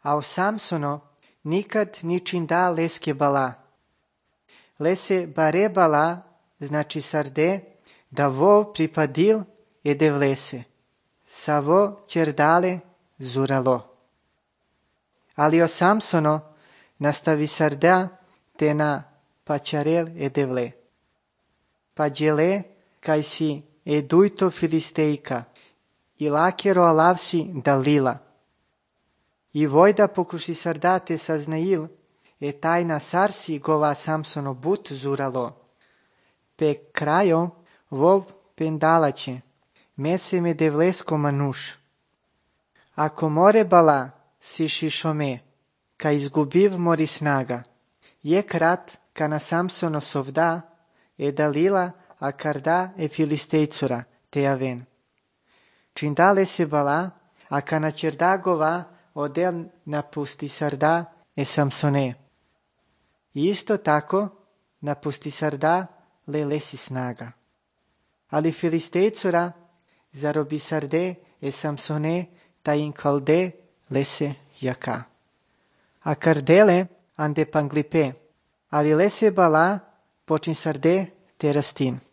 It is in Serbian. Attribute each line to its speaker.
Speaker 1: A o Samsono nikad ničin da leske bala. Lese bare bala, znači sarde, da vo pripadil ede vlese. Savo čerdale zuralo. Ali o Samsono nastavi sarda te na pačarel ede vle. Pa djele kaj si edujto filistejka i lakero alavsi Dalila. I vojda pokuši sardate saznail, tajna sarsi gova Samsono but zuralo. Pe krajo vov pendalače, mese me devlesko manuš. Ako more bala si šišome, ka izgubiv mori snaga, je krat ka na Samsono sovda, Dalila a karda filistejcura te aven. Čindale se bala, a ka na čerdagova odel napusti sarda Samsone. I isto tako napusti sarda lesi snaga. Ali filistejcura zarobi sarde Samsone ta in kalde lese jaka. A kardele ande panglipe, ali lese bala počin sarde te rastin.